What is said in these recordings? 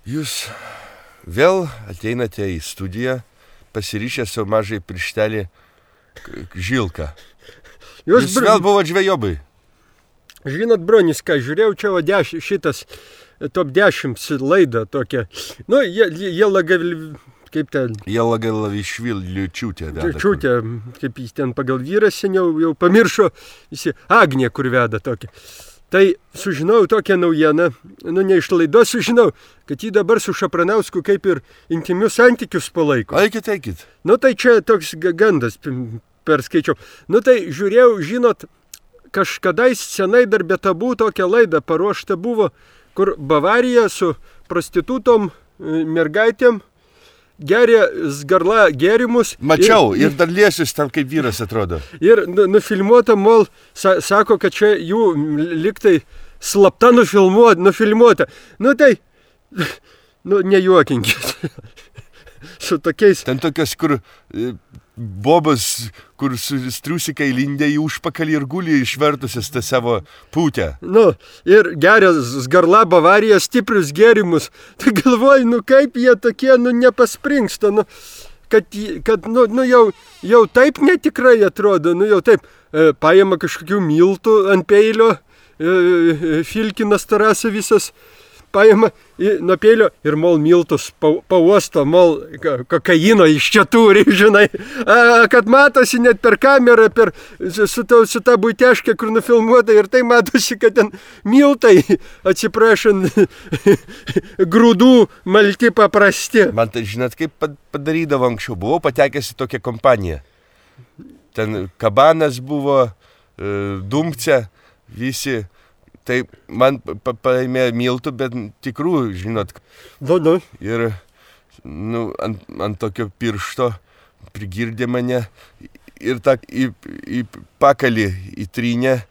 Jūs vėl ateinate į studiją, pasiryšę savo mažai pirštelį žilką. Jūs vėl buvo žvejobai. Žinot, Bronis, ką žiūrėjau, čia šitas top 10 laida tokia. Nu, kaip ten... Jelagalavišviličiūtė veda. Čiūtė, kaip jis ten pagal vyrą seniau jau pamiršo, jis Agnė, kur veda tokia. Tai sužinau tokią naujieną, ne iš laidos sužinau, kad jį dabar su Šapranausku kaip ir intimius santykius palaiko. Eikit. Nu tai čia toks gandas perskaičiau. Nu tai žiūrėjau, žinot, kažkadais senai dar be tabų tokią laidą paruošta buvo, kur Bavarija su prostitutom mergaitėm geria Zgarla gėrimus. Mačiau, ir dar liesis tam kaip vyras atrodo. Ir nufilmuota, mol, sako, kad čia jų liktai slapta nufilmuota. Nu tai, nejuokinkit. Su tokiais... Ten tokios, kur bobas, kur su striusikai lindė į užpakalį ir guli išvertusias tą savo pūtę. Ir geria Zgarla Bavarija stiprius gėrimus. Tai galvoju, kaip jie tokie, nepaspringsta, kad jau taip netikrai atrodo, jau taip, paima kažkokių miltų ant peilio, Filkinas Tarasa visas, paima nuo peilio ir mol miltus pauosto, mol kokaino iš čia turi, žinai, kad matosi net per kamerą, su ta buiteškė, kur nufilmuota, ir tai matosi, kad ten miltai, atsiprašant, grūdų malti paprasti. Man tai žinot, kaip padarydavo anksčiau, buvau patekęs į tokią kompaniją. Ten Kabanas buvo, Dumce, visi. Tai man paėmė miltų, bet tikrų, žinot. Ir ant tokio piršto prigirdė mane ir į pakalį įtrynė.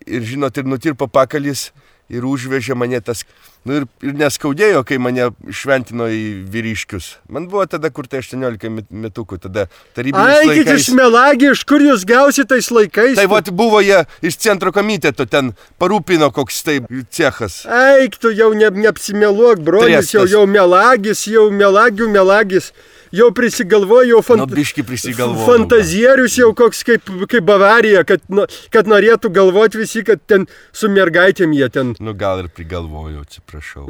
Ir žinot, ir nutirpo pakalis ir užvežė mane tas... Ir neskaudėjo, kai mane šventino į vyriškius. Man buvo tada, kur tai 18 metukų, tada tarybiniais laikais. Eikit iš melagį, iš kur jūs gausit tais laikais? Tai buvo jie iš centro komiteto, ten parūpino koks tai cechas. Eik, tu jau neapsimeluok, brolis, jau melagis, jau melagis. Jau prisigalvojo, fantazierius jau koks kaip Bavarija, kad norėtų galvoti visi, kad ten su mergaitėm jie ten. Gal ir prigalvojo, atsiprašau.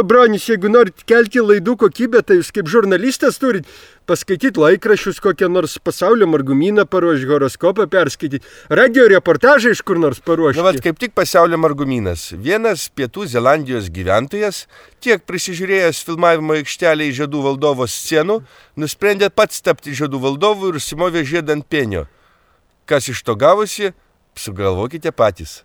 Bronis, jeigu norit kelti laidų kokybę, tai jūs kaip žurnalistas turit paskaityti laikraščius, kokią nors pasaulio margumyną paruošti, horoskopą perskaityti, radio reportažą iš kur nors paruošti. Kaip tik pasaulio margumynas. Vienas Pietų Zelandijos gyventojas, tiek prisižiūrėjęs filmavimo aikštelėje Žiedų valdovo scenų, nusprendė pats tapti Žiedų valdovu ir užsimovė žiedą ant penio. Kas iš to gavosi, sugalvokite patys.